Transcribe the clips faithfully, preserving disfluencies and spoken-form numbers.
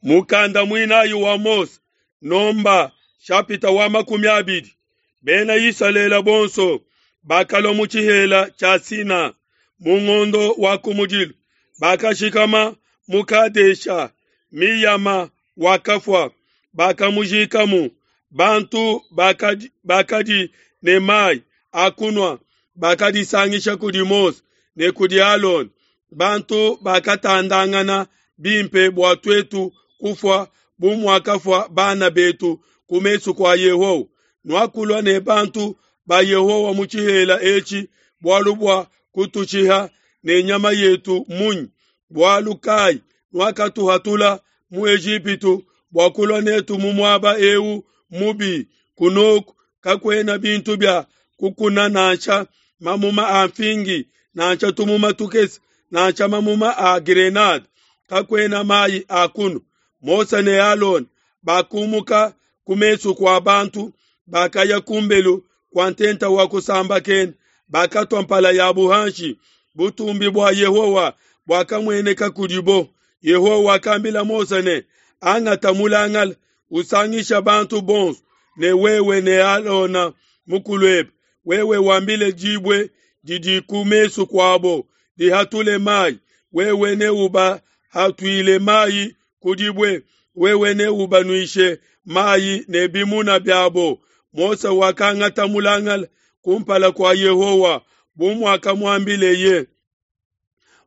Mukanda muinayi wa Mose, Nomba shapita wa makumi abidi. Bena Isalele bonso bakalua mu tshihela tshia Sina mu ngondo wa kumudilu, bakashikama mu Kadesha. Miyama wakafua, bakamujikamu. Bantu bakadi, bakadi ne mai a kunua bakadisangisha kudi Mose ne kudi Alona. Bantu bakatandangana bimpe bua tuetu kufua bu muakafua bana betu ku mesu kua Yehowa. Nuakulua ne bantu ba Yehowa mu tshihela etshi bualu bua kutushiha ne nyama yetu munyi? Bualu kai nuakatuhatula mu Ejipitu bua kulua netu mu muaba eu mubi? Kunoku kakuena bintu bia kukuna nansha mamuma a mfingi nansha tumuma tukese nansha mamuma a grenade, kakuena mai a kunua. Mose ne Alona bakumuka ku mesu kua bantu, bakaya kumbelu kua ntenta wa kusambakena, bakatua mpala yabu hanshi. Butumbi bua Yehowa buakamueneka kudibo. Yehowa wakambila Mose ne, angata mulangala, usangisha bantu bonso ne wewe ne Alona mukuluebe. Wewe wambile dibue didi ku mesu kuabo dihatule mai, wewe neubahatuile mai ku dibue, wewe neubanuishe mai ne bimuna biabo. Mose wakangata mulangala kumpala kua Yehowa bu muakamuambileye.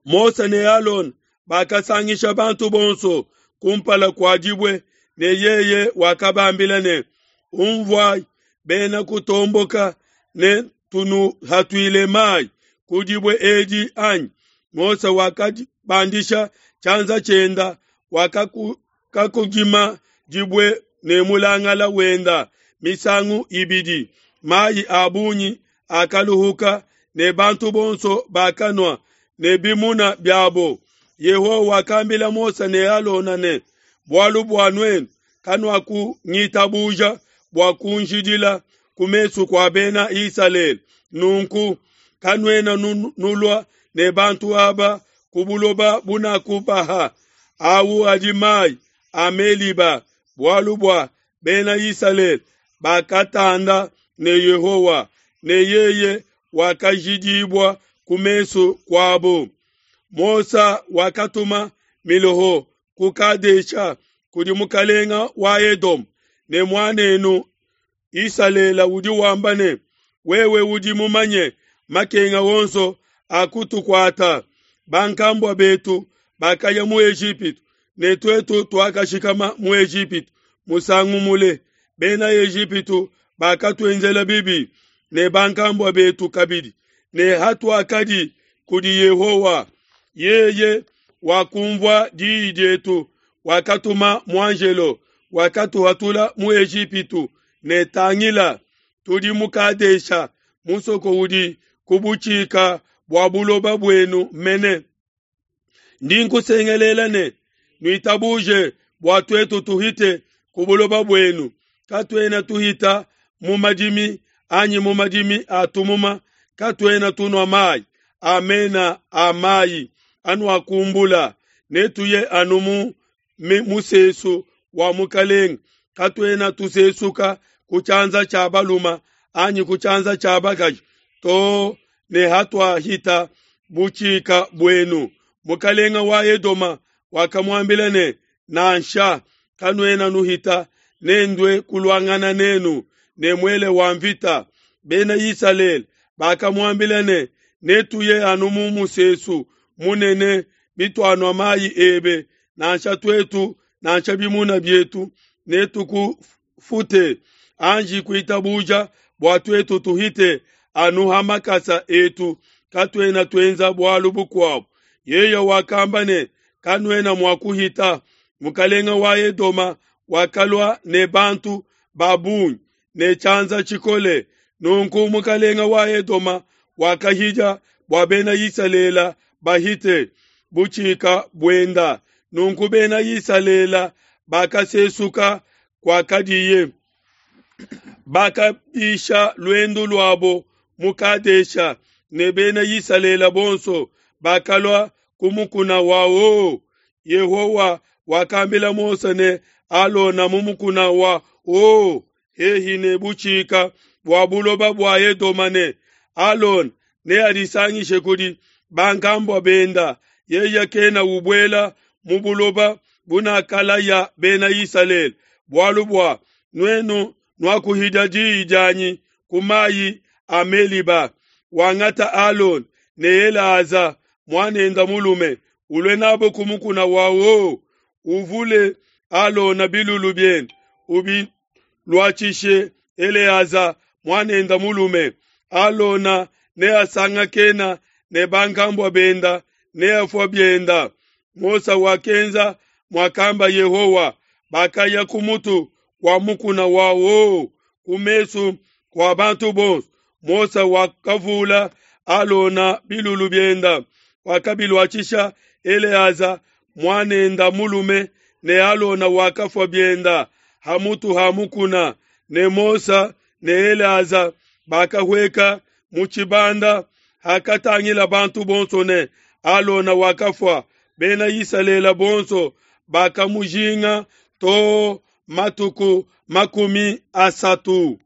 Mose ne Alona bakasangisha bantu bonso kumpala kua dibue, ne yeye wakabambila ne, umvuai bena kutomboka, ne tunuhatuile mai ku dibue edi anyi? Mose wakabandisha tshianza tshienda, wakakudima dibue ne mulangala wenda misangu ibidi. Mai a bungi akaluhuka, ne bantu bonso bakanua ne bimuna biabo. Yehowa wakambila Mose ne Alona ne, bualu bua nuenu kanuakungitabuja bua kunjidila ku mesu kua bena Isalele, nunku kanuena nulua ne bantu aba ku buloba bunakubaha. Awu adi mai a Meliba, bualu bua bena Isalele bakatanda ne Yehowa, ne yeye wakajidibua ku mesu kuabo. Mose wakatuma miloho ku Kadesha kudi mukalenga wa Edom, ne muanenu Isalele udi wamba ne, wewe udi mumanye makenga wonso akutukuata. Bankambua betu bakaya mu Ejipitu, ne tuetu tuakashikama mu Ejipitu musangu mule. Bena Ejipitu bakatuenzela bibi ne bankambua betu kabidi, ne hatuakadi kudi Yehowa, yeye wakumvua diyi dietu, wakatuma muanjelo, wakatuhatula mu Ejipitu. Ne tangila, tudi mu Kadesha, musoko udi ku butshika bua buloba buenu mene. Ndi nkusengelela ne, nuitabuje bua tuetu tuhite ku buloba buenu. Katuena tuhita mu madimi anyi mu madimi a tumuma, katuena tunua mai a mena a mai anuakumbula. Netuye anu mu musesu wa mukalenge, katuena tusesuka ku tshianza tshia baluma anyi ku tshianza tshia bakaji to ne hatuahita butshika buenu. Mukalenga wa Edoma wakamuambila ne, nansha kanuena nuhita, nendue kuluangana nenu ne muele wa mvita. Bena Isalele bakamuambila ne, netuye anu mu musesu munene bituanua mai ebe, nansha tuetu nansha bimuna bietu, netukufute. Anji kuitabuja bua tuetu tuhite anu ha makasa etu, katuena tuenza bualu bukuabu. Yeye wakamba ne, kanuena mua kuhita. Mukalenga wa Edoma wakalua ne bantu ba bungi ne tshianza tshikole. Nunku mukalenga wa Edoma wakahija bua bena Isalele bahite butshika buenda. Nunku bena Isalele bakasesuka kuakadiye, bakabisha luendu luabo mu Kadesha, ne bena Isalele bonso bakalua ku mukuna wa Ho. Yehowa wakambila Mose ne Alona mu mukuna wa O hehi ne butshika bua buloba bua Edoma ne, Alona neadisangishe kudi bankambua benda, yeye kena ubuela mu buloba bunakalaya Bena Isalele, bualu bua nuenu nuakuhidia diyi dianyi ku mayi a Meliba. Wangata Alona ne Eleaza muanende mulume, ulue nabo ku mukuna wa O, uvule Alona bilulu biende, ubiluatshishe Eleaza muanende mulume. Alona neasangakena ne bankambua benda, neafue bienda. Mose wakenza muakamba Yehowa. Bakaya ku mutu kua mukuna wa O ku mesu kua bantu bonso. Mose wakavula Alona bilulu bienda, wakabiluatshisha Eleaza muanende mulume, ne Alona wakafua bienda ha mutu ha mukuna. Ne Mose ne Eleaza bakahueka mu tshibanda. Hakatangila bantu bonso ne Alona wakafua, Bena Isalele bonso bakamujinga to matuku makumi asatu.